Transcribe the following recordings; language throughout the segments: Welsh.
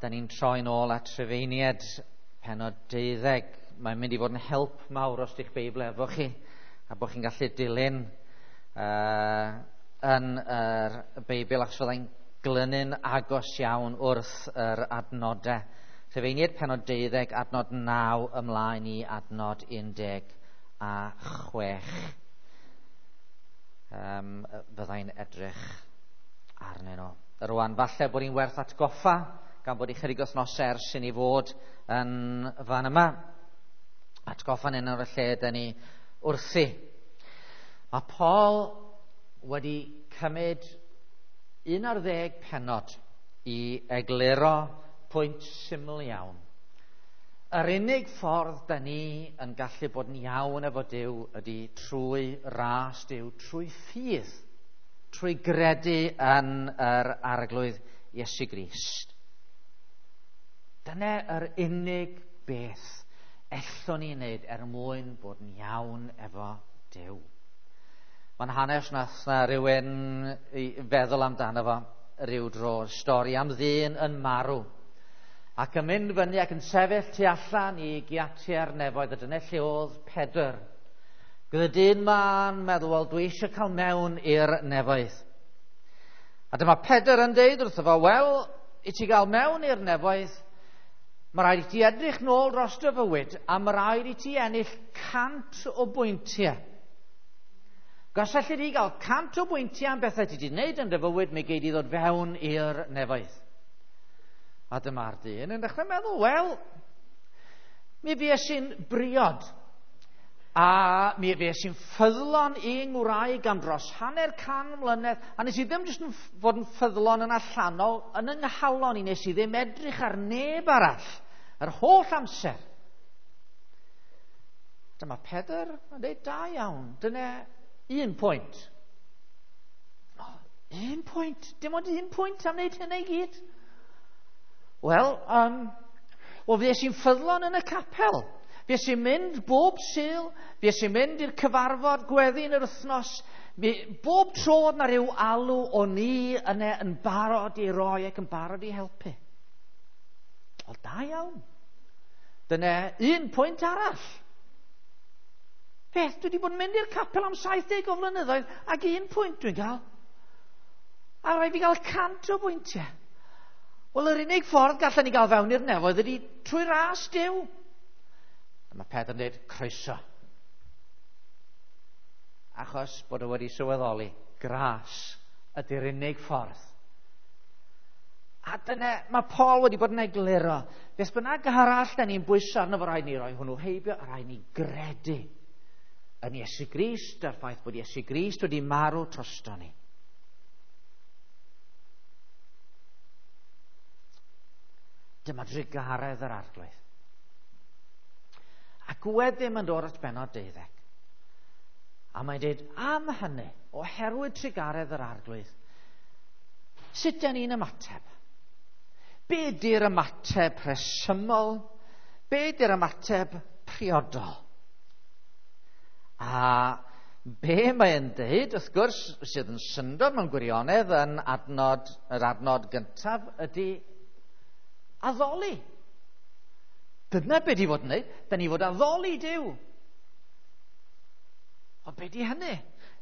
Da ni'n troi'n ôl at Rhufeiniaid, pennod 12. Mae'n mynd i fod yn help mawr os di'ch Beibl efo chi, a bod chi'n gallu dilyn yn yr Beibl, achos fyddai'n glynu'n agos iawn wrth yr adnodau. Rhufeiniaid pennod 12, adnod 9 ymlaen i adnod 16. Fyddai'n edrych arnyn nhw. Rwan, falle bod hi'n werth atgoffa, gan bod ychydig wythnosau ers i ni fod yn fan yma. Atgoffa'n un o'r lle dyn ni wrthi. Mae Paul wedi cymryd 11 pennod i egluro pwynt syml iawn. Yr unig ffordd dyn ni yn gallu bod yn iawn efo Duw ydy trwy ras Duw, trwy ffydd, trwy gredu yn yr Arglwydd Iesu Grist. Dyna yr unig beth ellwn ni wneud er mwyn bod yn iawn efo Duw. Mae'n hanes nath na rhywun i feddwl amdano fo ryw dro, stori am ddyn yn marw ac yn mynd fyny ac yn sefyll tu allan i giatiau'r nefoedd, a dyna lle oedd Pedr. Gyda dyn ma'n meddwl, wel, dwi eisiau cael mewn i'r nefoedd. A dyma Pedr yn deud wrtho fo, wel, i ti gael mewn i'r nefoedd, mae rhaid i ti edrych nôl dros dy fywyd, a mae rhaid i ti ennill 100 o bwyntiau. Os allu di gael 100 o bwyntiau am bethau ti wedi gwneud yn dy fywyd, mi gei di ddod fewn i'r nefoedd. A dyma'r dyn yn dechrau meddwl, wel, mi fues i'n briod, a mi fues i'n ffyddlon i ngwraig am dros 150 mlynedd, a nes i ddim jyst yn fod yn ffyddlon yn allanol, yn yng nghalon i, nes i ddim edrych ar neb arall yr holl amser. Dyma Pedr yn dweud, da iawn, dyna un pwynt. Oh, un pwynt, dim ond un pwynt am wneud hynny i gyd. Wel, fues i'n ffyddlon yn y capel. Fues i'n mynd bob Sul, fues i'n mynd i'r cyfarfod gweddi yn yr wythnos. Bob tro oedd 'na ryw alw o'n i yna yn barod i roi ac yn barod i helpu. Wel, da iawn. Dyna un pwynt arall. Beth, dwi wedi bod yn mynd i'r capel am 70 o flynyddoedd ac un pwynt dwi'n cael. A rhaid fi gael 100 o bwyntiau. Wel, yr unig ffordd gallen ni gael fewn i'r nefoedd ydy trwy ras Duw. A mae Pedr yn dweud, croeso. Achos bod o wedi sylweddoli, gras ydy'r unig ffordd. A dyna, mae Paul wedi bod yn egluro. Beth bynnag arall da ni'n bwyso arno fo, rhaid ni roi hwnnw heibio, a rhaid ni gredu yn Iesu Grist, a'r ffaith bod Iesu Grist wedi marw drosto ni. Dyma drugaredd yr Arglwydd. Ac wedyn mae'n dod at bennod 12. A mae'n dweud, am hynny, oherwydd trugaredd yr Arglwydd, sut dyn ni'n ymateb? Be di'r ymateb rhesymol? Be di'r ymateb priodol? A be mae'n dweud, wrth gwrs, sydd yn syndod mewn gwirionedd yn adnod, yr adnod gyntaf, ydy addoli. Dyna be di fod yn neud. Da ni fod addoli Duw. Ond be di hynny?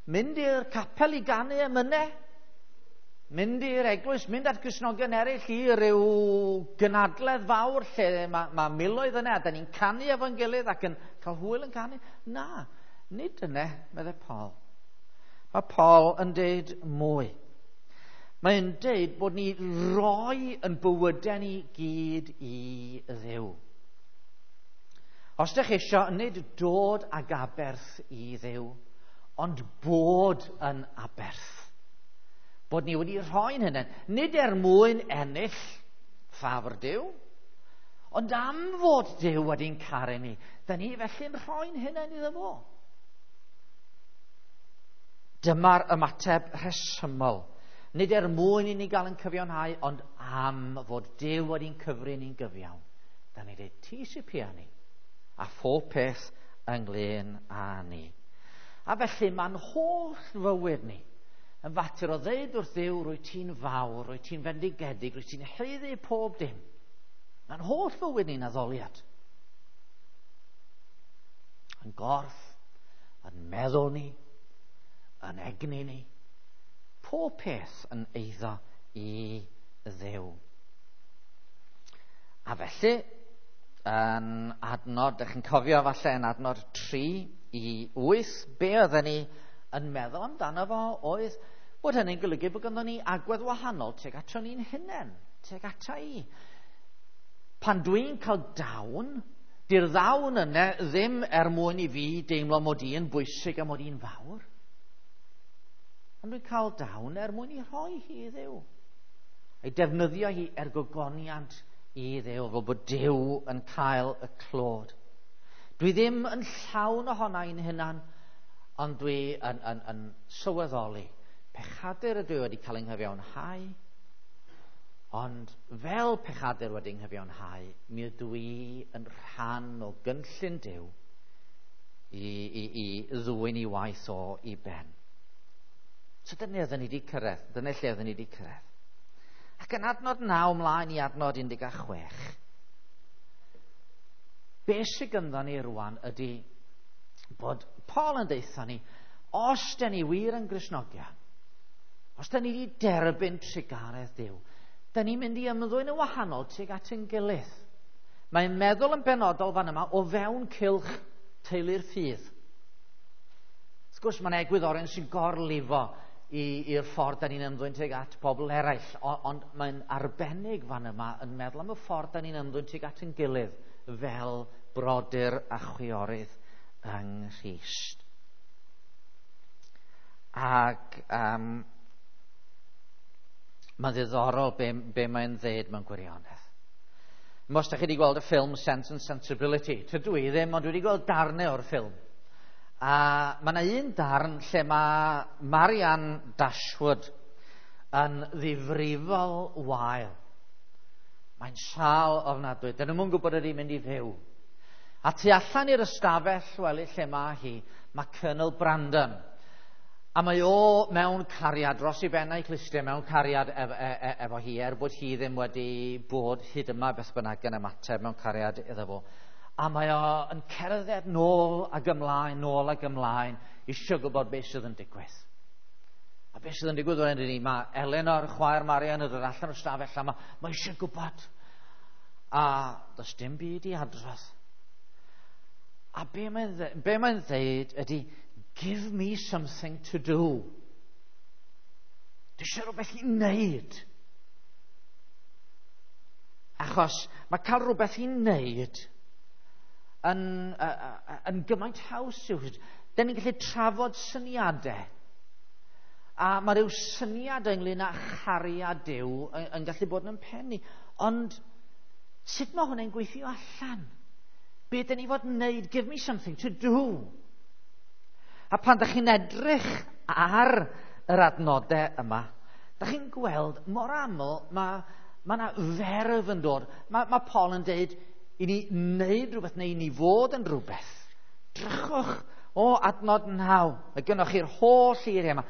Mynd i'r capel i ganu emynau? Mynd i'r eglwys, mynd at Gristnogion eraill i ryw gynadledd fawr lle mae miloedd yna, a da ni'n canu efo'n gilydd ac yn cael hwyl yn canu? Na, nid yna, meddai Paul. Mae Paul yn deud mwy. Mae'n deud bod ni roi yn bywydau ni gyd i Dduw. Os ydych eisiau, nid dod ag aberth i Dduw, ond bod yn aberth. Bod ni wedi rhoi'n hynny, nid er mwyn ennill ffafr Duw, ond am fod Duw wedi'n caru ni, da ni felly'n rhoi'n hynny iddo fo. Dyma'r ymateb rhesymol. Nid er mwyn i ni gael yn cyfiawnhau, ond am fod Duw wedi'n cyfri ni'n gyfiawn. Da ni dweud, ti sy'n pia ni, a phob peth ynglyn â ni. A felly mae'n holl fywyd ni, Yn fater o ddeud wrth Dduw, rwy ti'n fawr, rwy ti'n fendigedig, rwy ti'n haeddu pob dim. Mae'n holl fywyd ni'n addoliad. Yn gorff, yn meddwl ni, yn egni ni. Pob peth yn eiddo i Dduw. A felly, yn adnod, ydych chi'n cofio falle yn adnod 3 i 8, be oedden ni yn meddwl amdano fo oedd bod hynny'n golygu bod ganddo ni agwedd wahanol tuag ato ni'n hunain, tuag ata i. Pan dwi'n cael dawn, di'r ddawn yna ddim er mwyn i fi deimlo mod i yn bwysig a mod i'n fawr. Ond dwi'n cael dawn er mwyn i rhoi hi i Dduw. Ei defnyddio hi er gogoniant i Dduw, fel bod Duw yn cael y clod. Dwi ddim yn llawn ohona i'n hunan, ond dwi yn sylweddoli. Pechadur ydw i wedi cael ei nghyfiawnhau, ond fel pechadur wedi nghyfiawnhau, mi ydw i yn rhan o gynllun Duw i ddwyn i waith o i ben. So dyna oedden ni wedi cyrraedd, dyna lle oedden ni wedi cyrraedd. Ac yn adnod 9 ymlaen i adnod 16, be sydd gynddon ni rwan ydy bod Paul yn deutha ni, os dyn ni wir yn Gristnogion, os dyn ni wedi derbyn trugaredd Duw, dyn ni'n mynd i ymddwyn yn wahanol tuag at ein gilydd. Mae'n meddwl yn benodol fan yma o fewn cylch teulu'r ffydd. Wrth gwrs, mae'n egwyddorion sy'n gorlifo i'r ffordd da ni'n ymddwyn tuag at pobl eraill, ond mae'n arbennig fan yma yn meddwl am y ffordd da ni'n ymddwyn tuag at ein gilydd fel brodyr a chwiorydd yng Nghrist. Ac mae'n ddiddorol be mae'n ddeud mewn gwirionedd. Os da chi wedi gweld y ffilm Sense and Sensibility, tydw i ddim, ond dwi wedi gweld darnau o'r ffilm. A mae yna un darn lle mae Marianne Dashwood yn ddifrifol wael. Mae'n sâl ofnadwy. Dyn nhw'n gwybod ydy mynd i fyw. A tu allan i'r ystafell wely lle mae hi, mae Colonel Brandon. A mae o mewn cariad, dros i ben a'i clustiau, mewn cariad efo hi, er bod hi ddim wedi bod hyd yma beth bynnag yn ymateb mewn cariad iddo fo. A mae o yn cerdded nôl ag ymlaen, eisiau gwybod beth sydd yn digwydd. A beth sydd yn digwydd o'n ni, mae Eleanor, chwaer Marian, yn dod allan o'r stafell a mae eisiau gwybod. A does dim byd i adrodd. A be mae'n dweud ydy, give me something to do. Dwi eisiau rhywbeth i wneud. Achos mae cael rhywbeth i wneud yn gymaint haws yw. Dyn ni'n gallu trafod syniadau. A mae rhyw syniad ynglyn â chariad Duw yn gallu bod yn pennu. Ond sut mae hwnna'n gweithio allan? Be dyn ni fod yn wneud? Give me something to do. A pan dych chi'n edrych ar yr adnodau yma, dych chi'n gweld mor aml mae yna ferf yn dod. Mae Paul yn deud i ni wneud rhywbeth neu i ni fod yn rhywbeth. Drychwch o adnod 9. Mae gennych chi'r holl eiriau yma.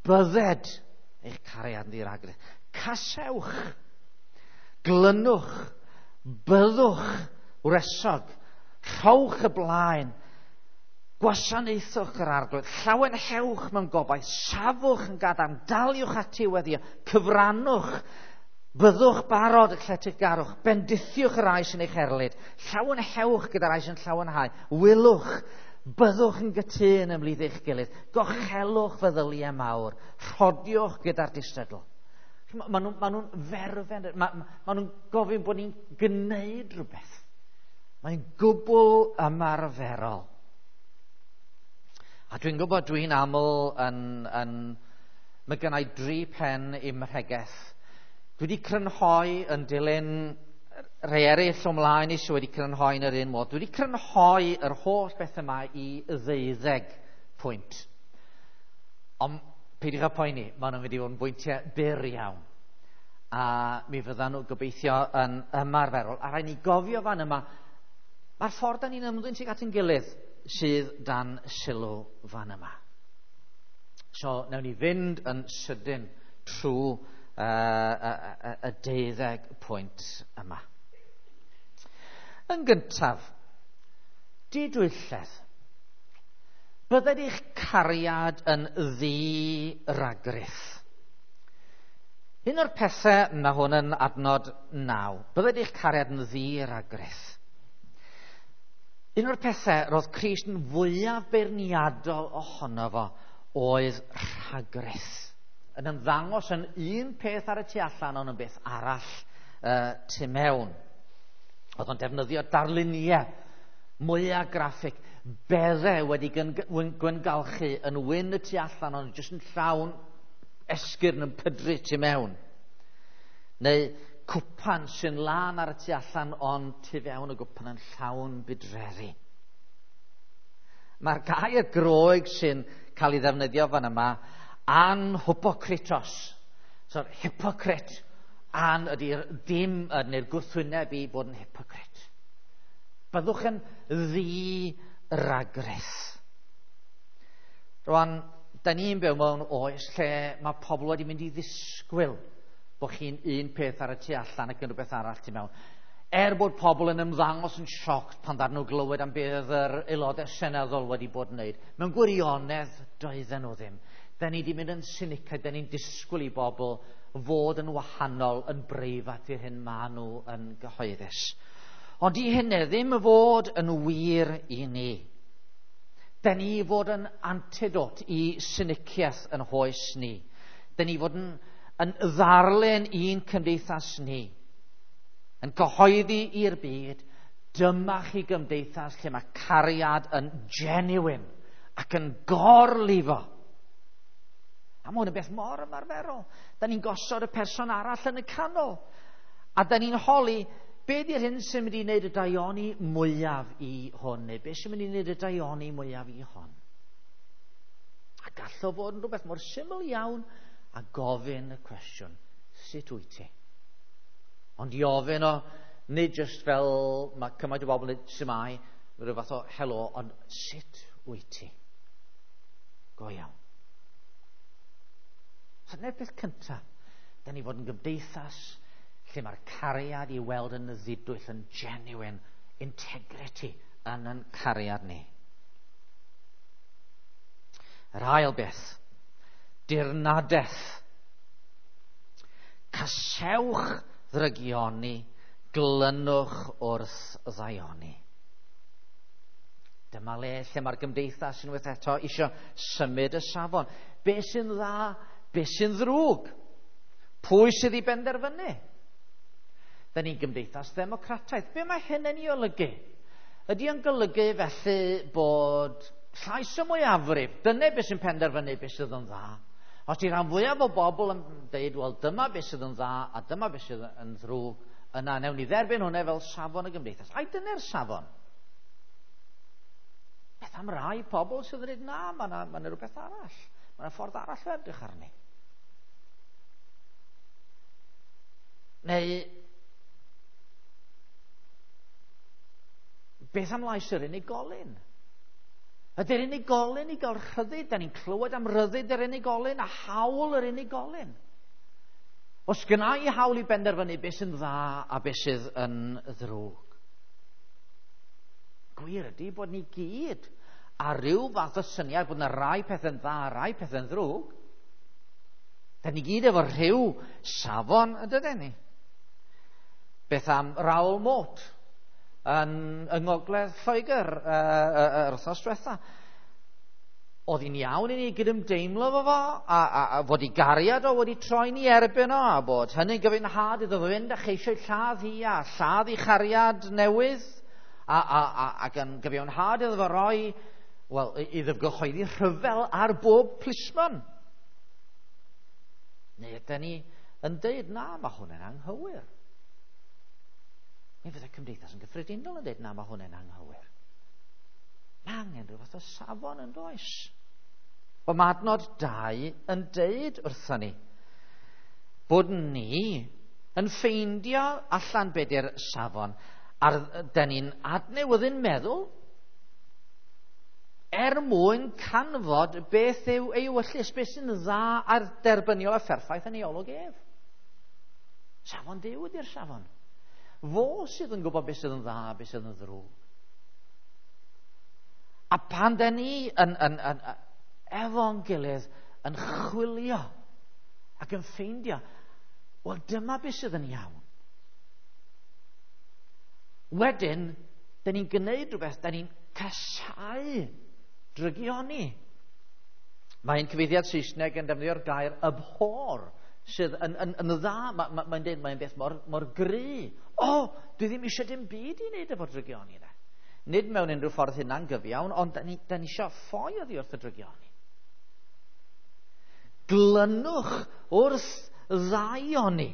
Bydded eich cariad yn ddiragrydd. Casewch, glynwch, byddwch wresog, rhowch y blaen, gwasanaethwch yr Arglwydd, llawenhewch mewn gobaith, safwch yn gadarn, daliwch ati weddio, cyfrannwch, byddwch barod y lletygarwch, bendithiwch y rai sy'n eich erlid, llawenhewch gyda'r rai sy'n llawenhau, wylwch, byddwch yn gytûn ymhlith eich gilydd, gochelwch feddyliau mawr, rhodiwch gyda'r distadl. Maen nhw'n ferfen, maen nhw'n gofyn bod ni'n gwneud rhywbeth. Mae'n gwbl ymarferol. A dwi'n gwybod dwi'n aml mae gynna i 3 pen i'm mhregeth. Dwi wedi crynhoi yn dilyn rhai eraill o mlaen i sydd wedi crynhoi yn yr un modd. Dwi wedi crynhoi yr holl beth yma i 12 pwynt. Ond peidiwch â poeni, maen nhw'n mynd i fod yn bwyntiau byr iawn. A mi fyddan nhw gobeithio yn ymarferol. A rhaid ni gofio fan yma, mae'r ffordd da ni'n ymddwyn tuag at ein gilydd sydd dan sylw fan yma. So, newn ni fynd yn sydyn trwy y 12 pwynt yma. Yn gyntaf, didwylledd. Bydded eich cariad yn ddi-ragrith. Un o'r pethau, mae hwn yn adnod 9, bydded eich cariad yn ddi-ragrith. Un o'r pethau roedd Crist yn fwyaf beirniadol ohono fo oedd rhagrith. Yn ymddangos yn un peth ar y tu allan ond yn beth arall tu mewn. Oedd o'n defnyddio darluniau mwyaf graffig, beddau wedi gwyngalchu yn wyn y tu allan ond jyst yn llawn esgyrn yn pydru tu mewn. Neu cwpan sy'n lân ar y tu allan ond tu fewn y gwpan yn llawn budreddi. Mae'r gair Groeg sy'n cael ei ddefnyddio fan yma, anhypokritos. So, hypocrite, an ydy'r dim, neu'r gwrthwyneb i bod yn hypocrite. Byddwch yn ddi-ragrith. Rwan, da ni'n byw mewn oes lle mae pobl wedi mynd i ddisgwyl bod chi'n un peth ar y tu allan ac yn rhywbeth arall tu mewn. Er bod pobl yn ymddangos yn sioc pan ddaru nhw glywed am beth yr aelodau seneddol wedi bod yn wneud, mewn gwirionedd doedden nhw ddim. Da ni wedi mynd yn sinicaidd, da ni'n disgwyl i bobl fod yn wahanol, yn breifat i'r hyn maen nhw yn gyhoeddus. Ond i hynny ddim fod yn wir i ni. Da ni fod yn antidot i siniciaeth yn hoes ni. Da ni fod yn ddarlun i'n cymdeithas ni. Yn cyhoeddi i'r byd, dyma chi gymdeithas lle mae cariad yn genuine ac yn gorlifo. A mae hwn yn beth mor ymarferol. Da ni'n gosod y person arall yn y canol. A da ni'n holi, be di'r hyn sy'n mynd i wneud y daioni mwyaf i hwn, neu be sy'n mynd i wneud y daioni mwyaf i hon? A gall o fod yn rhywbeth mor syml iawn a gofyn y cwestiwn, sut wyt ti? Ond i ofyn o, nid jyst fel mae cymaint o bobl yn dweud shwmae, rhyw fath o helo, ond sut wyt ti? Go iawn. So dyna'r peth cyntaf. Da ni fod yn gymdeithas lle mae'r cariad i weld yn ddidwyll, yn genuine, integrity yn yn cariad ni. Yr ail beth, dirnadaeth. Casewch ddrygioni, glynwch wrth ddaioni. Dyma le lle mae'r gymdeithas unwaith eto eisiau symud y safon. Be sy'n dda, be sy'n ddrwg? Pwy sydd i benderfynu? Da ni'n gymdeithas ddemocrataidd. Be mae hyn yn ei olygu? Ydy o'n golygu felly bod llais y mwyafrif, dyna beth sy'n penderfynu beth sydd yn dda. Os di rhan fwyaf o bobl yn dweud, wel dyma beth sydd yn dda a dyma beth sydd yn ddrwg, yna newn ni dderbyn hwnna fel safon y gymdeithas. Ai dyna'r safon? Beth am rai pobl sydd yn dweud, na, mae yna ma rhywbeth arall. Mae yna ffordd arall o edrych arni. Neu, beth am lais yr unigolyn? Ydy'r unigolyn i gael rhyddid? Da ni'n clywed am ryddid yr unigolyn a hawl yr unigolyn. Os gynna i hawl i benderfynu beth sy'n dda a beth sydd yn ddrwg. Gwir ydy bod ni gyd a rhyw fath o syniad bod yna rai pethau'n dda a rai pethau'n ddrwg. Da ni gyd efo rhyw safon, yn dydyn ni? Beth am Raoul Moat yn Ngogledd Lloegr yr wythnos diwetha? Oedd hi'n iawn i ni gydymdeimlo efo fo, a fod ei gariad o wedi troi ni erbyn o, a bod hynny'n gyfiawnhad iddo fo fynd a cheisio lladd hi a lladd ei chariad newydd, ac yn gyfiawnhad iddo fo roi, wel, iddo fo gyhoeddi rhyfel ar bob plismon. Neu ydyn ni yn deud, na, mae hwn yn anghywir. Neu fydde cymdeithas yn gyffredinol yn deud, na, mae hwn yn anghywir. Mae angen rhyw fath o safon yn does. Wel, mae adnod 2 yn deud wrthon ni bod ni yn ffeindio allan be di'r safon, a dyn ni'n adnewyddu'n meddwl. Er mwyn canfod beth yw ei ewyllys, beth sy'n dda a'r derbyniol a pherffaith yn ei olwg ef. Safon Duw ydy'r safon. Fo sydd yn gwybod beth sydd yn dda a beth sydd yn ddrwg. A pan da ni yn efo'n gilydd yn chwilio ac yn ffeindio, wel, dyma beth sydd yn iawn. Wedyn, da ni'n gwneud rhywbeth, da ni'n casáu drygioni. Mae'n cyfeithiad Saesneg yn defnyddio'r gair "abhor", sydd yn dda. Mae'n dweud mae'n beth mor gry. O, dwi ddim eisiau dim byd i wneud efo drygioni 'na. Nid mewn unrhyw ffordd hynna'n gyfiawn, ond da ni eisiau ffoi oddi wrth y drygioni. Glynwch wrth ddaioni.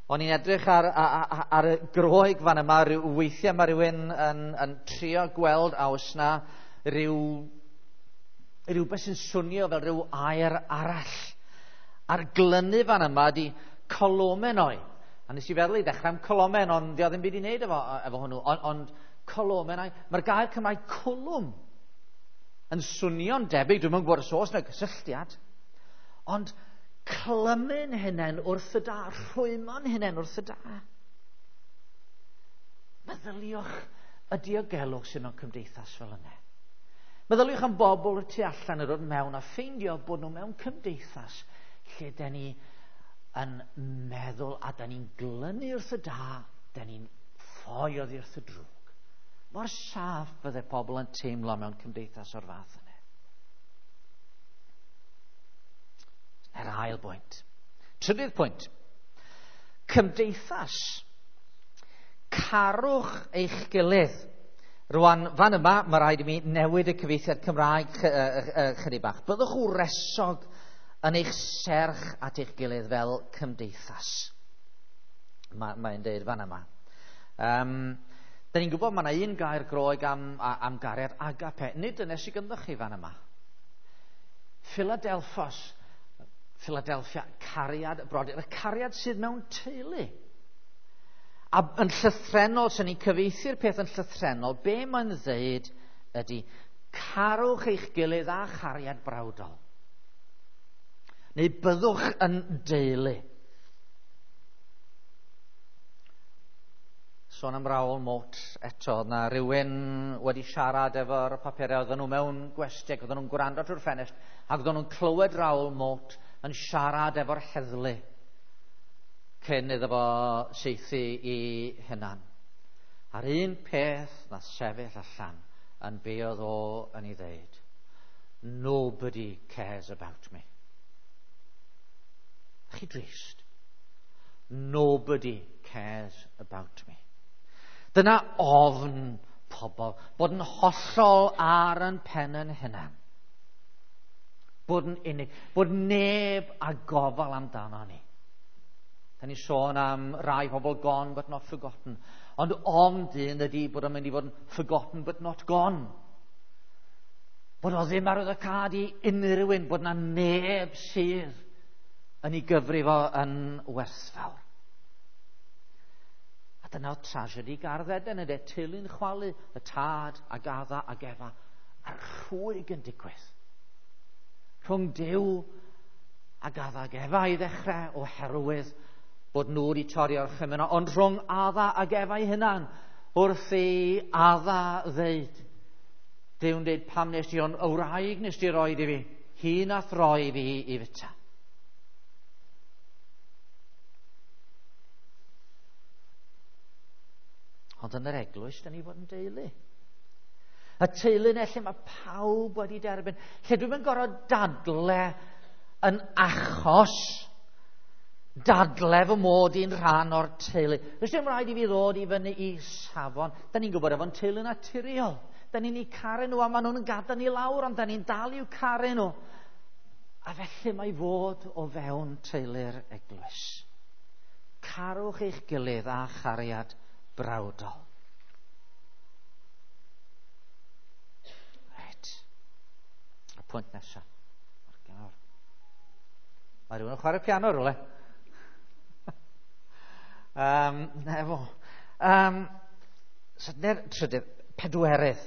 O'n i'n edrych ar y Groeg fan yma, weithiau mae rhywun yn trio gweld a oes na rhywbeth sy'n swnio fel rhyw air arall. A'r glynu fan yma di kolomenoi. A nes i feddwl i ddechrau am colomen, ond di o ddim byd i wneud efo hwnnw. Ond kolomenoi, mae'r gair Cymraeg "cwlwm" yn swnio'n debyg, dwi'm yn gwybod os oes yna gysylltiad, ond clymu'n hunain wrth y da, rhwymo'n hunain wrth y da. Meddyliwch y diogelwch sydd mewn cymdeithas fel yna. Meddyliwch am bobl y tu allan yn dod mewn a ffeindio bod nhw mewn cymdeithas lle da ni yn meddwl a da ni'n glynu wrth y da, da ni'n ffoi oddi wrth y drwg. Mor saff fydde pobl yn teimlo mewn cymdeithas o'r fath yna. Yr ail bwynt. Trydydd pwynt. Cymdeithas. Carwch eich gilydd. Rwan, fan yma, mae rhaid i mi newid y cyfieithiad Cymraeg chydig bach. Byddwch wresog yn eich serch at eich gilydd fel cymdeithas. Mae'n deud fan yma. Da ni'n gwybod mae yna un gair Groeg am gariad, agape. Nid dyna sydd gyda chi fan yma. Philadelphos, Philadelphia, cariad y brodyr. Y cariad sydd mewn teulu. A yn llythrenol, sy'n ni'n cyfieithu'r peth yn llythrenol, be mae'n dweud ydy, carwch eich gilydd â chariad brawdol. Neu byddwch yn deulu. Sôn am Raoul Moat eto, na rhywun wedi siarad efo'r papurau, oedden nhw mewn gwesty, ac oedden nhw'n gwrando trwy'r ffenest, ac oedden nhw'n clywed Raoul Moat yn siarad efo'r heddlu cyn iddo fo saethu i hunan. A'r un peth na sefyll allan yn be oedd o yn ei ddeud: "Nobody cares about me." Chi drist. "Nobody cares about me." Dyna ofn pobl, bod yn hollol ar yn pen yn hunan. Bod yn unig, bod neb a gofal amdano ni. Da ni sôn am rai pobl gone but not forgotten. Ond ofn dyn ydy bod o'n mynd i fod yn forgotten but not gone. Bod o ddim ar y cad i unrhyw un, bod na neb sydd yn ei gyfrif o yn werthfawr. A dyna o tragedy Gardd Eden ydy, teulu'n chwalu, y tad ag Adda ag Efa, a'r rhwyg yn digwydd. Rhwng Duw ag Adda ag Efa i ddechrau oherwydd bod nhw wedi torri orchymyn, ond rhwng Adda ag Efa ei hunan, wrth i Adda ddeud, Duw'n dweud, "Pam nes ti ond y wraig nes ti roi i fi, hi nath roi fi i fita." Ond yn yr eglwys, da ni fod yn deulu. Y teulu yna lle mae pawb wedi derbyn. Lle dwi'm yn gorfod dadle yn achos dadle fy mod i'n rhan o'r teulu. Does dim rhaid i fi ddod i fyny i safon. Da ni'n gwybod efo'n teulu naturiol. Da ni'n eu caru nhw a maen nhw'n gadael ni lawr, ond da ni'n dal i'w caru nhw. A felly mae fod o fewn teulu'r eglwys. Carwch eich gilydd â chariad brawdol. Reit. Y pwynt nesaf. Mae rhywun yn chwarae piano rhywle. Nefo. So, trydydd, pedwerydd.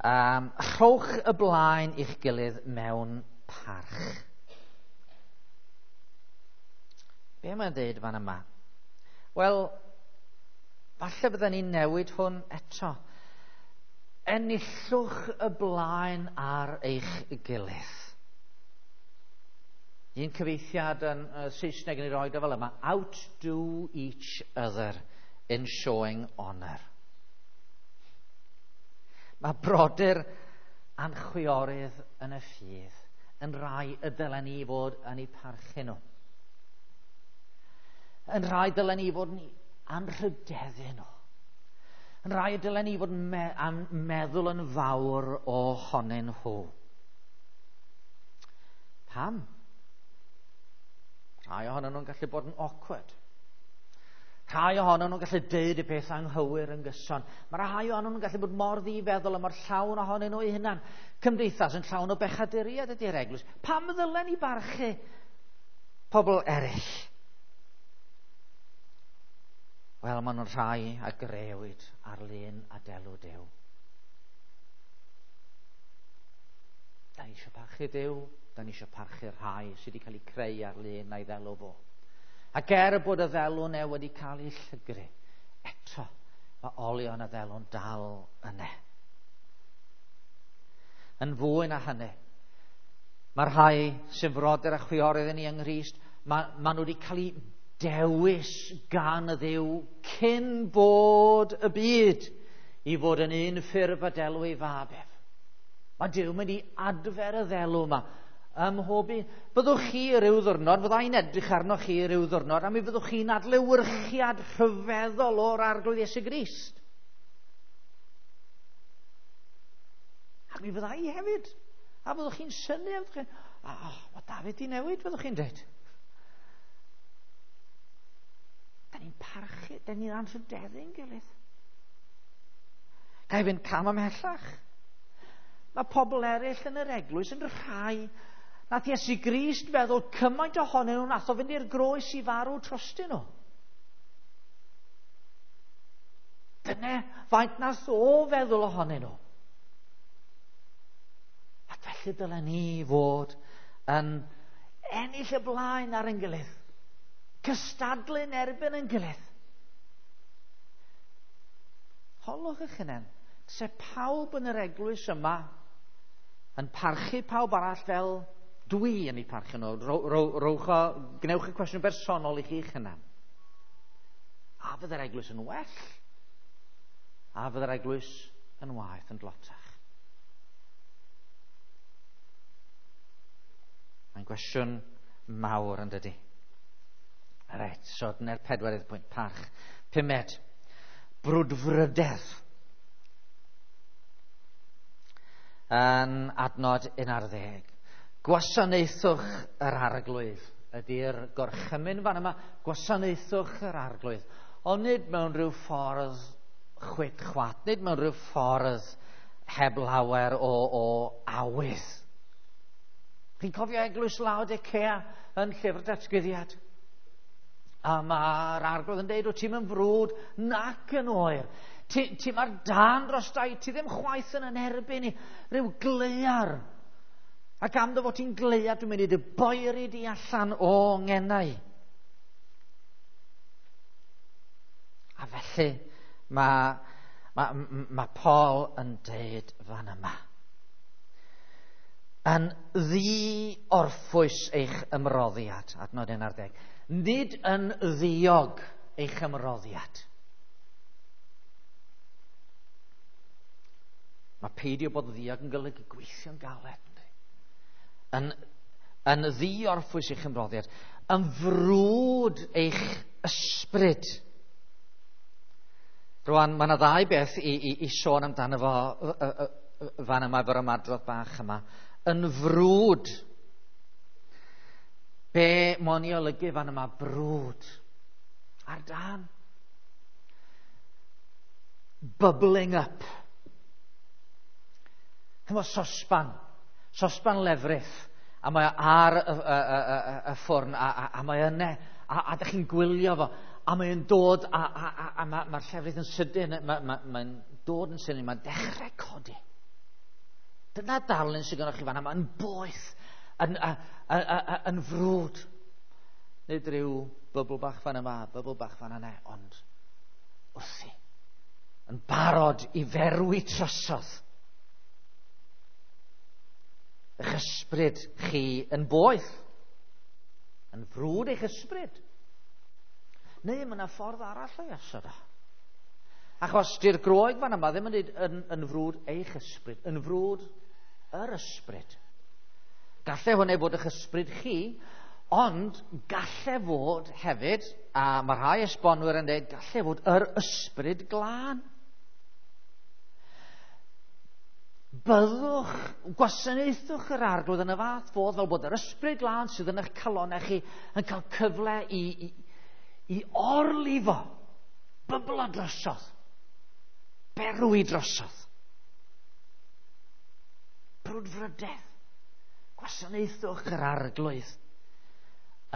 Rhowch y blaen i'ch gilydd mewn parch. Be mae'n dweud fan yma? Wel, falle bydden ni'n newid hwn eto. Enillwch y blaen ar eich gilydd. Un cyfieithiad yn Saesneg yn ei roed o fel yma: "Outdo each other in showing honour." Mae brodyr a'n chwiorydd yn y ffydd yn rhai y dylen ni fod yn eu parchu nhw. Yn rhai dylen ni fod yn anrhydeddu nhw. Yn rhai y dylen ni fod yn meddwl yn fawr ohonyn nhw. Pam? Rhai ohonyn nhw'n gallu bod yn awkward. Rhai ohonyn nhw'n gallu deud y peth anghywir yn gyson. Mae rhai ohonyn nhw'n gallu bod mor ddifeddwl a mor llawn ohonyn nhw eu hunan. Cymdeithas yn llawn o bechaduriaid ydy'r eglwys. Pam ddylen ni barchu pobl eraill? Wel, maen nhw'n rhai a grëwyd ar lun a delw Duw. Da ni eisiau parchu Duw, da ni eisiau parchu'r rhai sydd wedi cael eu creu ar lun a'i ddelw fo. Ac er bod y ddelw 'ne wedi cael ei llygru, eto mae olion y ddelw'n dal yne. Yn fwy na hynny, mae'r rhai sy'n frodyr a chwiorydd i ni yng Nghrist, ma nhw wedi cael eu dewis gan y Dduw cyn bod y byd i fod yn un ffurf a delw ei fab ef. Mae Duw mynd i adfer y ddelw yma ym mhob un. Byddwch chi ryw ddwrnod, fydda i'n edrych arnoch chi ryw ddwrnod, a mi fyddwch chi'n adlewyrchiad rhyfeddol o'r Arglwydd Iesu Grist. Ac mi fydda i hefyd. A fyddwch chi'n synnu, a fyddwch chi'n, "Oh, mae David 'di newid," fyddwch chi'n dweud. Da ni'n parchu, da ni'n anrhydeddu'n gilydd. Ga i fynd cam ymhellach? Mae pobl eraill yn yr eglwys yn rhai nath Iesu Grist feddwl cymaint ohonyn nhw nath o fynd i'r groes i farw trostyn nhw. Dyna faint nath o feddwl ohonyn nhw. Ac felly dylen ni fod yn ennill y blaen ar ein gilydd. Cystadlu'n erbyn ein gilydd. Holwch eich hunain, se pawb yn yr eglwys yma yn parchu pawb arall fel dwi yn eu parchu nhw? Rowch o, gwnewch y cwestiwn bersonol i chi'ch hunan. A fydde'r eglwys yn well? A fydde'r eglwys yn waeth, yn dlotach? Mae'n gwestiwn mawr, yn dydy? Reit, so dyna'r pedwerydd pwynt, parch. Pumed, brwdfrydedd. Yn adnod 11. Gwasanaethwch yr Arglwydd ydy'r gorchymyn fan yma. Gwasanaethwch yr Arglwydd. Ond nid mewn rhyw ffordd chwit chwat, nid mewn rhyw ffordd heb lawer o awydd. Chi'n cofio eglwys Laodicea yn Llyfr Datguddiad? A mae'r Arglwydd yn deud, "O, ti'n yn frwd nac yn oer. Ti mae'r dan dros dau, ti ddim chwaith yn erbyn i, rhyw gleiar. Ac am dy fod ti'n gleiar, dwi'n mynd i dy boeri di allan o ngenau." A felly mae Paul yn deud fan yma: Yn ddi-orffwys eich ymroddiad, adnod 11. Nid yn ddiog eich ymroddiad. Mae peidio bod yn ddiog yn golygu gweithio'n galed. Yn ddi-orffwys eich ymroddiad. Yn frwd eich ysbryd. Rwan, mae yna ddau beth i sôn amdano fo fan yma efo'r ymadrodd bach yma. Yn frwd. Be mo'n i olygu fan yma, brwd? Ar dan. Bubbling up. Hefo sosban lefrith, a mae o ar y ffwrn, a mae yna, a ydych chi'n gwylio fo, a mae'n dod, a mae'r llefrith yn sydyn, mae'n dod yn sydyn, mae'n dechrau codi. Dyna darlun sydd gennych chi fan yma, yn boeth, yn frwd. Nid rhyw bybl bach fan yma, bybl bach fan yna, ond wrthi. Yn barod i ferwi trosodd. Eich ysbryd chi yn boeth. Yn frwd eich ysbryd. Neu mae yna ffordd arall o'i osod o. Achos di'r Groeg fan yma ddim yn dweud yn frwd eich ysbryd, yn frwd yr ysbryd. Galle hwnna fod eich ysbryd chi, ond galle fod hefyd, a mae rhai esbonwyr yn dweud, galle fod yr ysbryd glân. Byddwch, gwasanaethwch yr Arglwydd yn y fath fodd fel bod yr ysbryd glân sydd yn eich calonau chi yn cael cyfle i orlifo, byblo drosodd, berwi drosodd. Brwdfrydedd. Gwasanaethwch yr Arglwydd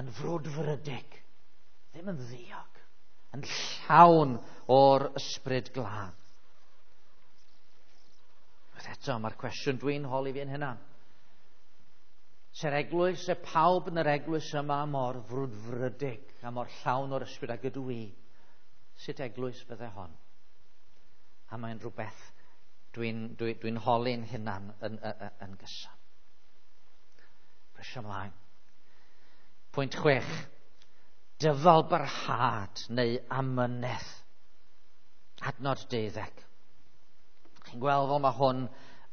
yn frwdfrydig, ddim yn ddiog, yn llawn o'r ysbryd glân. Eto, mae'r cwestiwn dwi'n holi fi'n hynna. Se'r eglwys, se pawb yn yr eglwys yma mor frwdfrydig a mor llawn o'r ysbryd ag ydw i, sut eglwys fydde hon? A mae'n rhywbeth dwi'n holi'n hunan yn gyson. Brysio ymlaen. Pwynt 6. Dyfal barhad neu amynedd. Adnod 12. Chi'n gweld fel mae hwn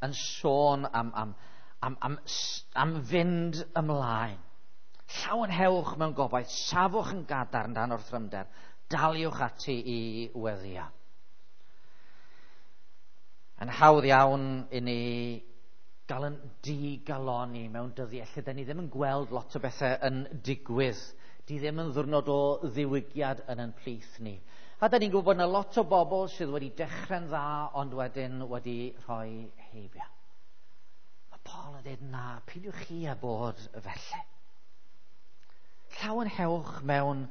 yn sôn am fynd ymlaen. Llawenhewch mewn gobaith, safwch yn gadarn dan orthrymder, daliwch ati i weddio. Yn hawdd iawn i ni gael yn digaloni mewn dyddiau lle da ni ddim yn gweld lot o bethau yn digwydd. Di ddim yn ddiwrnod o ddiwygiad yn ein plith ni. A da ni'n gwybod bod yna lot o bobl sydd wedi dechrau'n dda ond wedyn wedi rhoi heibio. Mae Paul yn dweud, na, peidiwch chi â bod felly. Llawenhewch mewn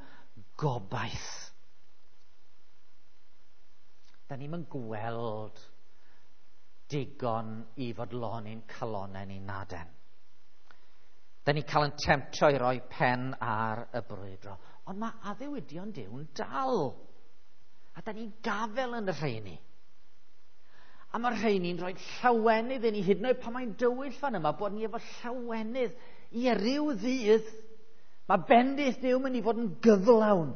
gobaith. Da ni'm yn gweld digon i fodloni'n calonnau ni naden. Da ni'n cael yn temtio i roi pen ar y brwydro. Ond mae addewidion Duw'n dal. A da ni'n gafel yn y rheini. A mae'r rheini'n rhoi llawenydd i ni, hyd yn oed pan mae'n dywyll fan yma, bod ni efo llawenydd i ryw ddydd. Mae bendith Duw mynd i fod yn gyflawn.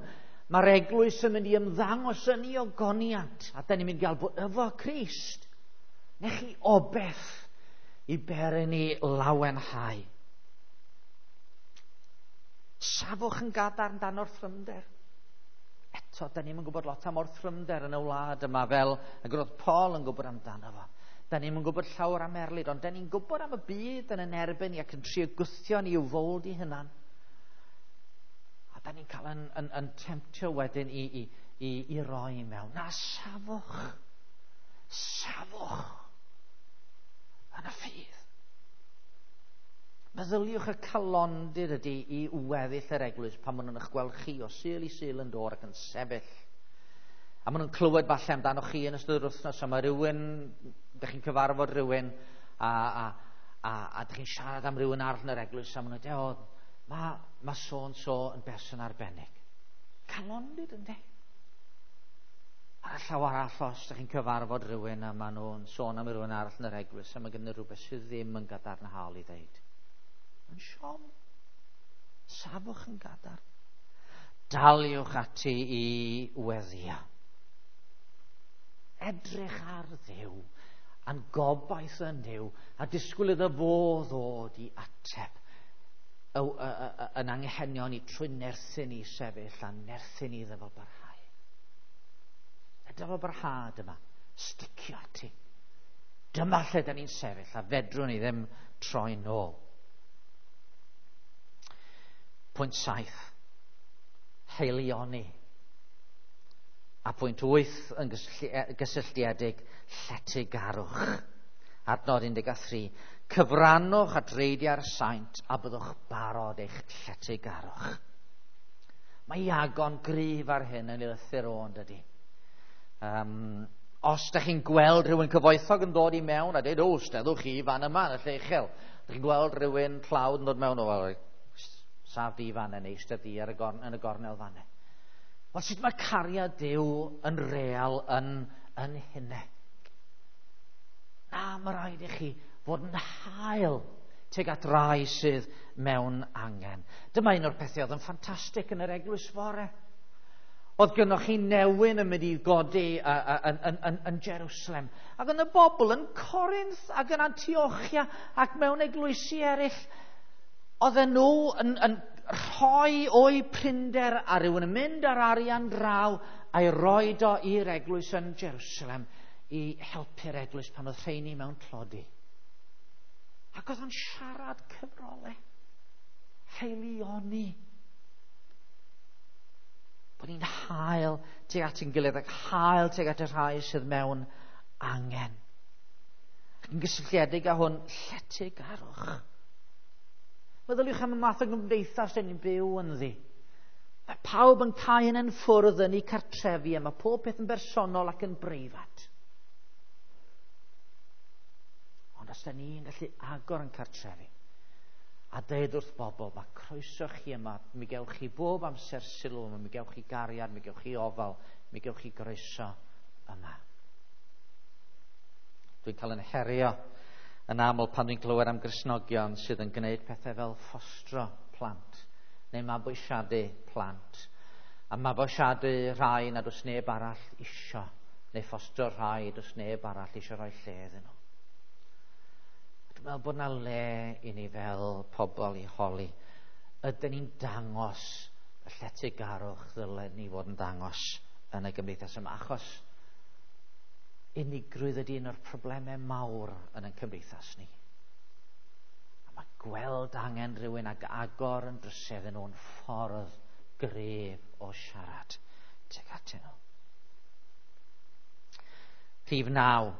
Mae'r eglwys yn mynd i ymddangos yn ei ogoniant. A da ni'n mynd i gael bod efo Crist. Nech chi obeth i beri ni lawenhau. Safwch yn gadarn dan orthrymder. Eto, da ni'm yn gwybod lot am orthrymder yn y wlad yma fel y roedd Paul yn gwybod amdano fo. Da ni'm yn gwybod llawer am erlid, ond da ni'n gwybod am y byd yn yn erbyn ni ac yn trio gwthio ni i'w fowld i hunan. A da ni'n cael yn temtio wedyn i roi mewn. Na, safwch. Safwch. Yn y ffydd. Meddyliwch y calondid ydy i weddill yr eglwys pan maen nhw'n eich gweld chi o Sul i Sul yn dod ac yn sefyll. A maen nhw'n clywed falle amdano chi yn ystod yr wythnos, a mae rhywun, dych chi'n cyfarfod rhywun, a dych chi'n siarad am rhywun arall yn yr eglwys, a maen nhw'n dweud, o, mae so-and-so yn berson arbennig. Calondid ynddi? Ar y llaw arall, os dych chi'n cyfarfod rhywun a maen nhw'n sôn am rhywun arall yn yr eglwys, a mae gen nhw rhywbeth sydd ddim yn gadarnhaol i ddeud. Yn siom. Safwch yn gadarn. Daliwch ati i weddio. Edrych ar Dduw, a'n gobaith yn Duw, a disgwyl iddo fo ddod i ateb yn anghenion ni trwy nerthu ni sefyll a nerthu ni iddo fo barhau. A dyfal barhad yma, sticio ati. Dyma lle da ni'n sefyll a fedrwn ni ddim troi nôl. Pwynt 7, haelioni. A pwynt 8 yn gysylltiedig, lletygarwch. Adnod 13, cyfrannwch at reidiau'r saint a byddwch barod eich lletygarwch. Mae Iago'n gryf ar hyn yn ei lythyr o, yn dydi? Os da chi'n gweld rhywun cyfoethog yn dod i mewn a dweud, o, steddwch chi fan yma yn y lle uchel. Da chi'n gweld rhywun tlawd yn dod mewn, o, saf di fan yna, eistedd di ar y gorn, yn y gornel fan yna. Wel, sut mae cariad Duw yn real yn hynny? Na, mae rhaid i chi fod yn hael tuag at rai sydd mewn angen. Dyma un o'r pethau oedd yn ffantastig yn yr eglwys fore. Oedd gynnwch chi newyn yn mynd i godi yn Jerusalem. Ac yn y bobl yn Corinth ac yn Antiochia ac mewn eglwysi eraill, oedden nhw yn rhoi o'u prinder a rhywun yn mynd ar arian draw a'i roed o i'r eglwys yn Jerusalem i helpu'r eglwys pan oedd rheini mewn tlodi. Ac oedd o'n siarad cyfrolau, haelioni. Bod ni'n hael tuag at ein gilydd ac hael tuag at y rhai sydd mewn angen. Ac yn gysylltiedig â hwn, lletygarwch. Meddyliwch am y math o gymdeithas dyn ni'n byw ynddi. Mae pawb yn cau yn ffwrdd yn eu cartrefi a mae pob peth yn bersonol ac yn breifat. Ond os da ni'n gallu agor yn cartrefi a deud wrth bobl, mae croeso chi yma, mi gewch chi bob amser sylw yma, mi gewch chi gariad, mi gewch chi ofal, mi gewch chi groeso yma. Dwi'n cael yn herio yn aml pan dwi'n clywed am Gristnogion sydd yn gwneud pethau fel ffostro plant neu mabwysiadu plant. A mabwysiadu rhai nad oes neb arall isio, neu ffostro rhai does neb arall isio rhoi lle iddyn nhw. Dwi'n meddwl bod yna le i ni fel pobl i holi. Ydyn ni'n dangos y lletygarwch ddylen ni fod yn dangos yn y gymdeithas yma? Achos unigrwydd ydy un o'r problemau mawr yn ein cymdeithas ni. A mae gweld angen rhywun ac agor yn drysedd yn nhw'n ffordd gref o siarad tuag atyn nhw. Rhif 9.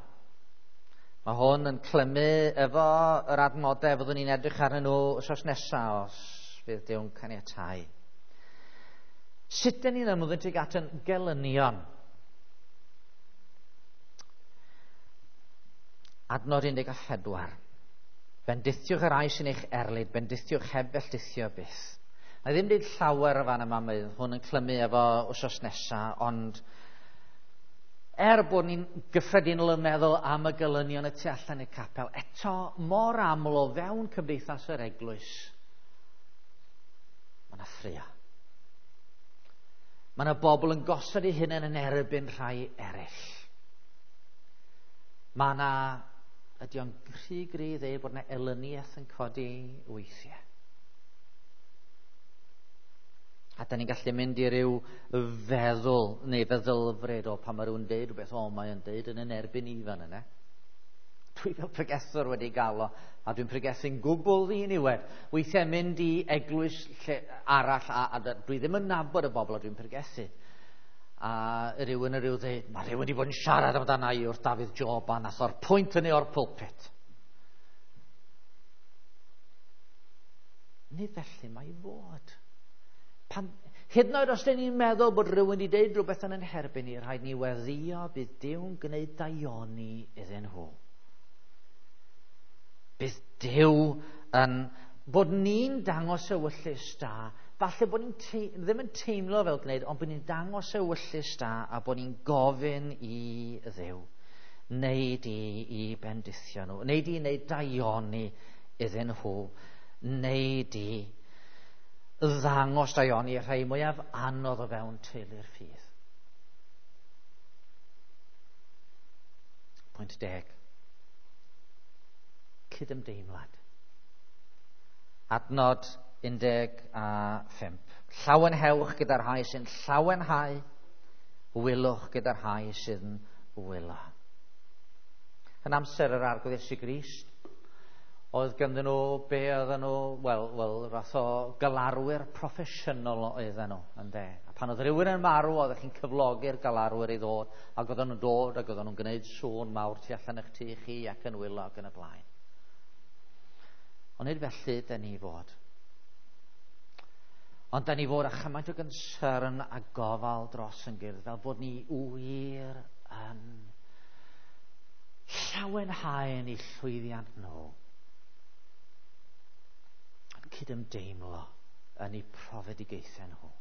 Mae hwn yn clymu efo yr adnodau fyddwn ni'n edrych arnyn nhw wythnos nesaf os fydd Duw'n caniatáu. Sut dyn ni'n ymddwyn tuag at yn gelynion? Adnod 14. Bendithiwch yr rhai sy'n eich erlid, bendithiwch heb felltithio byth. Mae ddim dweud llawer o fan yma, mae hwn yn clymu efo wythnos nesaf, ond er bod ni'n gyffredinol yn meddwl am y gelynion y tu allan i'r capel, eto mor aml o fewn cymdeithas yr eglwys, mae yna ffraeo. Mae yna bobl yn gosod eu hunain yn erbyn rhai eraill. Mae yna, ydy o'n rhy gry i ddeud bod yna elyniaeth yn codi weithiau. A da ni'n gallu mynd i ryw feddwl neu feddylfryd o pan mae rhywun deud rhywbeth, o, mae o'n deud yn yn erbyn i fan yna. Dwi fel pregethwr wedi gael o, a dwi'n pregethu'n gwbl ddiniwed. Weithiau mynd i eglwys lle arall, a dwi ddim yn nabod y bobl a dwi'n pregethu. A rhywun yn rhyw ddeud, mae rhywun wedi bod yn siarad amdana i wrth Dafydd Job a nath o'r pwynt hynny o'r pulpit. Nid felly mae i fod. Pan, hyd yn oed os dyn ni'n meddwl bod rhywun wedi deud rhywbeth yn ein herbyn ni, rhaid ni weddïo bydd Duw'n gwneud daioni iddyn nhw. Bydd Duw yn bod ni'n dangos ewyllys da, falle bod ni'n ddim yn teimlo fel gwneud, ond bod ni'n dangos ewyllys da a bod ni'n gofyn i Dduw wneud i bendithio nhw, wneud i wneud daioni iddyn nhw, wneud i ddangos daioni i'r rhai mwyaf anodd o fewn teulu'r ffydd. Pwynt 10. Cydymdeimlad. Adnod 15. Llawenhewch gyda'r rhai sy'n llawenhau, wylwch gyda'r rhai sy'n wylo. Yn amser yr Arglwydd Iesu Grist, oedd ganddyn nhw, be oedden nhw, wel, fath o galarwyr proffesiynol oedden nhw, ynde. A pan oedd rhywun yn marw, oeddech chi'n cyflogi'r galarwyr i ddod, ac oedden nhw'n dod, ac oedden nhw'n gwneud sŵn mawr tu allan eich tŷ chi ac yn wylo ac yn y blaen. Ond nid felly dyn ni fod. Ond dyn ni fod â chymaint o gynsyrn a gofal dros yn gilydd, fel bod ni wir yn Llawenhau yn eu llwyddiant nhw. Yn cydymdeimlo yn eu profedigaethau nhw.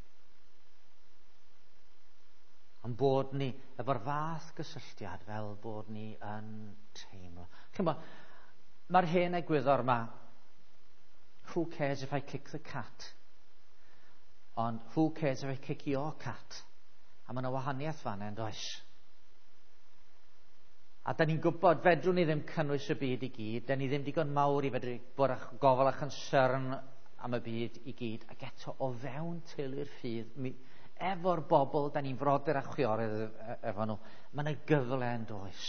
Ond bod ni efo'r fath gysylltiad fel bod ni yn teimlo. Chymod, mae'r hen egwyddor yma, who cares if I kick the cat? Ond who cares if I kick your cat? A mae yna wahaniaeth fan yn does? A da ni'n gwybod, fedrwn ni ddim cynnwys y byd i gyd, da ni ddim digon mawr i fedru bod â gofal a chonsern am y byd i gyd, ac eto o fewn teulu'r ffydd, efo'r bobl, da ni'n frodyr a chwiorydd efo nhw, mae yna gyfle yn does.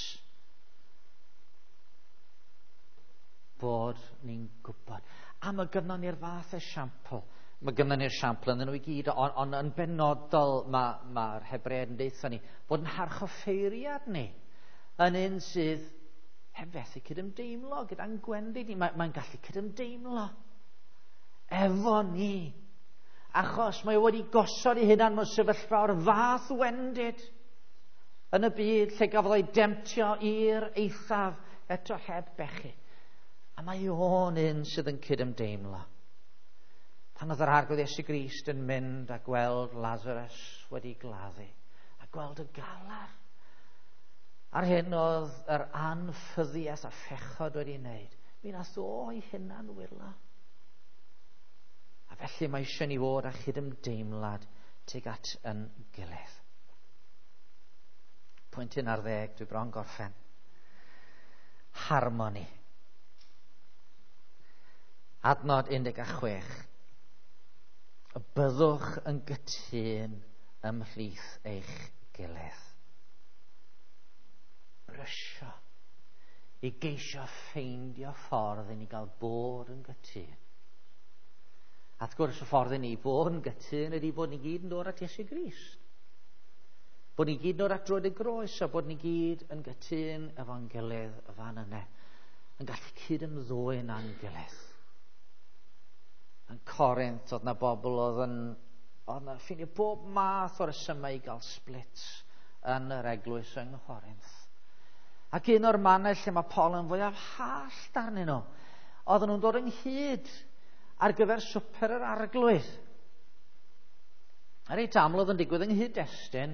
Bod ni'n gwybod. A mae gynnon ni'r fath esiampl. Mae gynnon ni'r esiampl yn nhw i gyd, ond on, yn benodol mae'r ma Hebreaid yn deutha ni bod yn harchoffeiriad ni yn un sydd heb fethu cydymdeimlo gyda'n gwendid ni. Mae'n mae gallu cydymdeimlo efo ni. Achos mae o wedi gosod ei hunan mewn sefyllfa o'r fath wendid yn y byd lle gafodd ei demtio i'r eithaf eto heb bechu. A mae o'n un sydd yn cydymdeimlo. Pan oedd yr Arglwydd Iesu Grist yn mynd a gweld Lazarus wedi gladdu, a gweld y galar, a'r hyn oedd yr anffyddiaeth a phechod wedi wneud, mi nath o ei hunan wylo. A felly mae eisiau ni fod â chydymdeimlad tuag at yn gilydd. Pwynt 11, dwi bron gorffen. Harmoni. Adnod 16. Byddwch yn gytûn ymhlith eich gilydd. Brysio i geisio ffeindio ffordd i ni gael bod yn gytûn. A wrth gwrs y ffordd i ni fod yn gytûn ydy bod ni gyd yn dod at Iesu Grist. Bod ni gyd yn dod at droed y groes a bod ni gyd yn gytûn efo'n gilydd y fan yna. Yn gallu cyd-ymddwyn â'n gilydd. Yn Corinth oedd na bobl oedd yn oedd na ffeindio bob math o resymau i gael splits yn yr eglwys yng Nghorinth. Ac un o'r mannau lle mae Paul yn fwyaf hallt arnyn nhw, oedden nhw'n dod ynghyd ar gyfer swper yr Arglwydd. A reit aml oedd yn digwydd yng nghyd-destun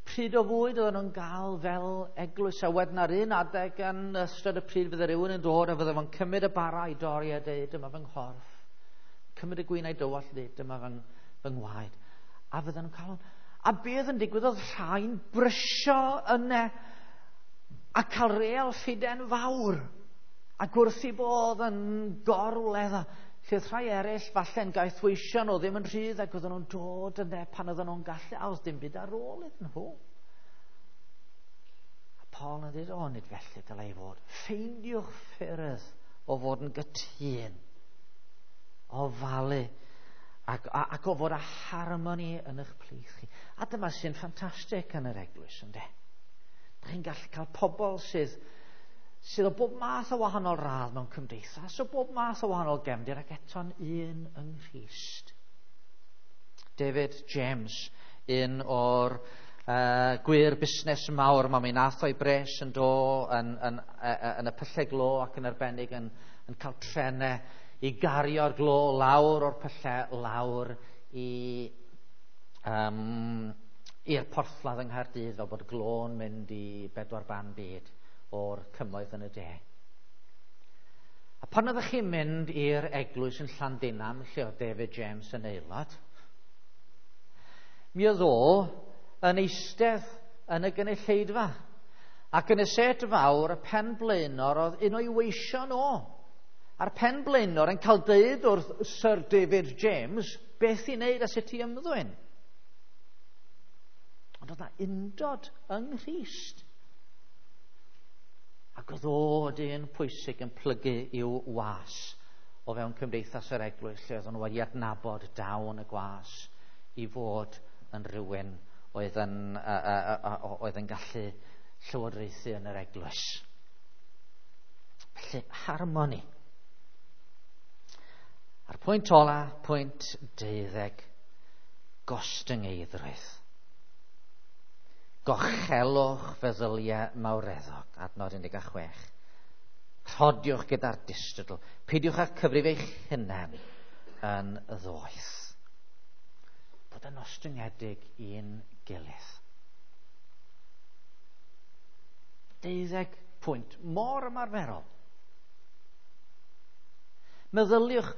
pryd o fwyd oedden nhw'n gael fel eglwys. A wedyn ar un adeg yn ystod y pryd fydde rhywun yn dod a fydde fo'n cymryd y bara i dorri a deud, dyma fy nghorff. Cymryd y gwin a'i dywallt a deud, dyma fy ngwaed. A fydden nhw'n cael hwn. A beth yn digwydd oedd rhai'n brysio yna a cael real ffiden fawr. Ac wrth i bodd yn gorwledda. Lle oedd rhai eraill falle'n gaethweision o ddim yn rhydd ac oedden nhw'n dod yna pan oedden nhw'n gallu, a oedd dim byd ar ôl iddyn nhw. A Paul yn dweud, o, nid felly dylai fod. Ffeindiwch ffyrdd o fod yn gytûn, o falu, ac o fod â harmoni yn eich plith chi. A dyma sy'n ffantastig yn yr eglwys, ynde? Da chi'n gallu cael pobl sydd o bob math o wahanol radd mewn cymdeithas, o bob math o wahanol gefndir, ac eto'n un yng Nghrist. David James, un o'r gwir busnes mawr, mae mi nath o'i bres yn do yn y pyllau glo ac yn arbennig yn cael trenau i gario'r glo lawr o'r pyllau lawr i'r porthladd yng Nghaerdydd, fel bod glo'n mynd i bedwar ban byd o'r cymoedd yn y de. A pan oeddech chi'n mynd i'r eglwys yn Llandinam, lle oedd David James yn aelod, mi oedd o yn eistedd yn y gynulleidfa. Ac yn y set fawr, y pen blaenor oedd un o'i weision o. A'r pen blaenor yn cael deud wrth Sir David James beth i wneud a sut i ymddwyn. Ond oedd na undod yng Nghrist. Ac oedd o dyn pwysig yn plygu i'w was o fewn cymdeithas yr eglwys, lle oedden nhw wedi adnabod dawn y gwas i fod yn rhywun oedd yn gallu llywodraethu yn yr eglwys. Felly, harmoni. A'r pwynt ola, pwynt 12, gostyngeiddrwydd. Gochelwch feddyliau mawreddog, adnod 16. Rhodiwch gyda'r distadl. Peidiwch â cyfrif eich hunain yn ddoeth. Bod yn ostyngedig i'n gilydd. 12 pwynt mor ymarferol. Meddyliwch,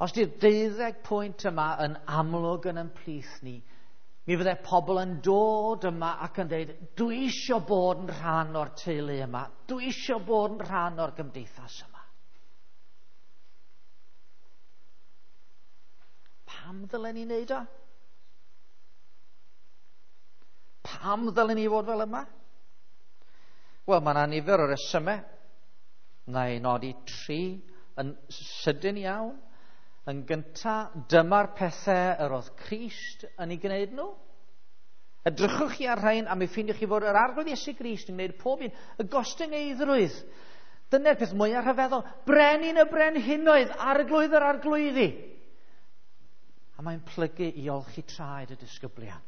os di'r 12 pwynt yma yn amlwg yn ein plith ni, mi fydde pobl yn dod yma ac yn dweud, dwi eisiau bod yn rhan o'r teulu yma, dwi eisiau bod yn rhan o'r gymdeithas yma. Pam ddylen ni wneud o? Pam ddylen ni fod fel yma? Wel, mae yna nifer o resymau. Na i nodi 3 yn sydyn iawn. Yn gyntaf, dyma'r pethau yr oedd Crist yn ei gwneud nhw. Edrychwch chi ar rhain a mi ffeindiwch chi fod yr Arglwydd Iesu Grist yn gwneud pob un. Y gostyngeiddrwydd. Dyna'r peth mwyaf rhyfeddol. Brenin y brenhinoedd, arglwydd yr arglwyddi. A mae'n plygu i olchi traed y disgyblion.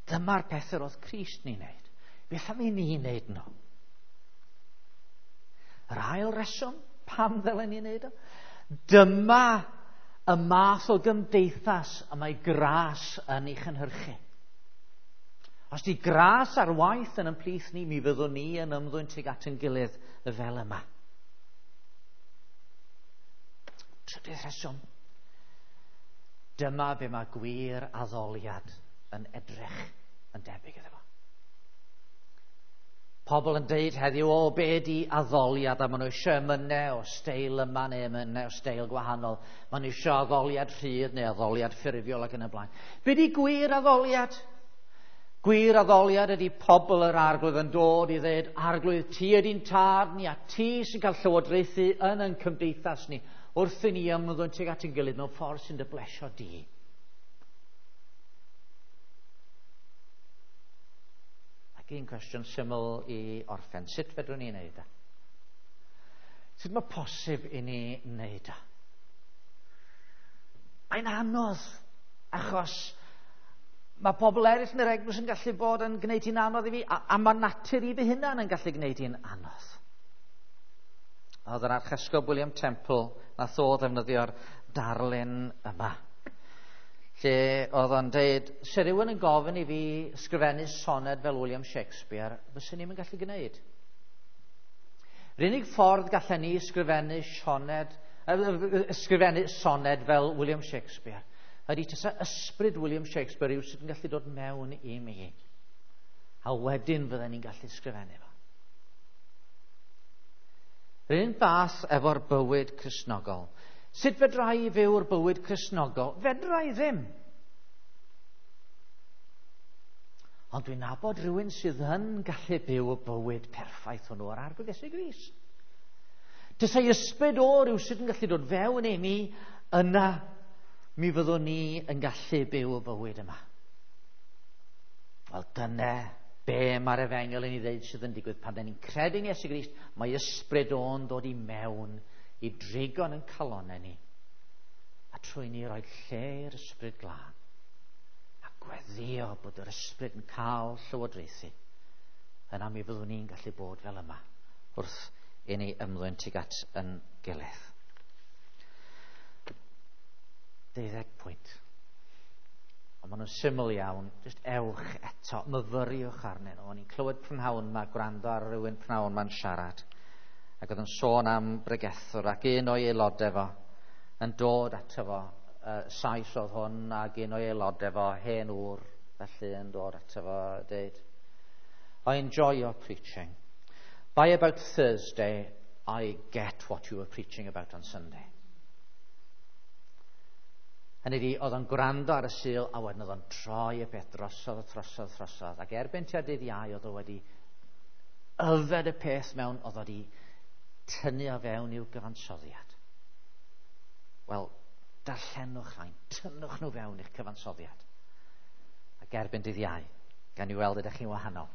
Dyma'r pethau oedd Crist ni'n wneud. Beth am i ni wneud nhw? Yr ail reswm, pam ddylen ni wneud o? Dyma y math o gymdeithas y mae gras yn ei chynhyrchu. Os di gras ar waith yn ymplith ni, mi fyddwn ni yn ymddwyn tuag at ein gilydd fel yma. Trydydd rheswm. Dyma be mae gwir addoliad yn edrych yn debyg iddo fo. Pobl yn deud heddiw, o, be di addoliad, a maen nhw eisiau emynau o steil yma neu emynau o steil gwahanol. Maen nhw eisiau addoliad rhydd neu addoliad ffurfiol ac yn y blaen. Be di gwir addoliad? Gwir addoliad ydy pobl yr Arglwydd yn dod i ddweud, Arglwydd, ti ydy'n tad ni a ti sy'n cael llywodraethu yn ein cymdeithas ni wrth i ni ymddwyn tuag at ein gilydd mewn ffordd sy'n dy blesio di. Ac un cwestiwn syml i orffen. Sut fedrwn ni wneud e? Sut mae posib i ni wneud e? Mae'n anodd, achos mae pobl eraill yn yr eglwys yn gallu bod yn gwneud hi'n anodd i fi, a mae natur i fy hunan yn gallu gwneud hi'n anodd. Oedd yr Archesgob William Temple nath o ddefnyddio'r darlun yma, lle oedd o'n deud, se rhywun yn gofyn i fi sgrifennu soned fel William Shakespeare, fyswn ni'm yn gallu gwneud. Yr unig ffordd gallen ni sgrifennu soned fel William Shakespeare ydy tasa ysbryd William Shakespeare yw sydd yn gallu dod mewn i mi. A wedyn fydden ni'n gallu sgrifennu fo. Yr un fath efo'r bywyd Cristnogol. Sut fedra i fyw'r bywyd Cristnogol? Fedra i ddim. Ond dwi'n nabod rhywun sydd yn gallu byw y bywyd perffaith hwnnw ar Arglwydd Iesu Grist. Tasai ysbryd o ryw sydd yn gallu dod fewn i mi, yna mi fyddwn ni yn gallu byw y bywyd yma. Wel, dyna be mae'r efengyl yn ei ddeud sydd yn digwydd pan dyn ni'n credu yn Iesu Grist, mae ysbryd o'n dod i mewn i drigo'n yn calonnau ni, a trwy ni roi lle i'r ysbryd glân, a gweddio bod yr ysbryd yn cael llywodraethu, yna mi fyddwn ni'n gallu bod fel yma wrth i ni ymddwyn tuag at yn gilydd. 12 pwynt. Ond maen nhw'n syml iawn, jyst ewch eto, myfyriwch arnyn nhw. O'n i'n clywed prynhawn yma, gwrando ar rhywun prynhawn yma'n siarad, ac oedd yn sôn am bregethwr, ac un o'i aelodau fo yn dod ato fo, Sais oedd hwn, ac un o'i aelodau fo, hen ŵr, felly yn dod ato fo, dweud, I enjoy your preaching. By about Thursday, I get what you were preaching about on Sunday. Hynny ydi, oedd o'n gwrando ar y Sul, a wedyn oedd o'n troi y peth drosodd, drosodd, drosodd. Ac erbyn tua dydd Iau, oedd o wedi yfed y peth mewn, oedd o wedi tynnu o fewn i'w gyfansoddiad. Wel, darllenwch rhain, tynnwch nhw fewn i'ch cyfansoddiad. Ac erbyn dydd Iau, gan i weld ydych chi'n wahanol.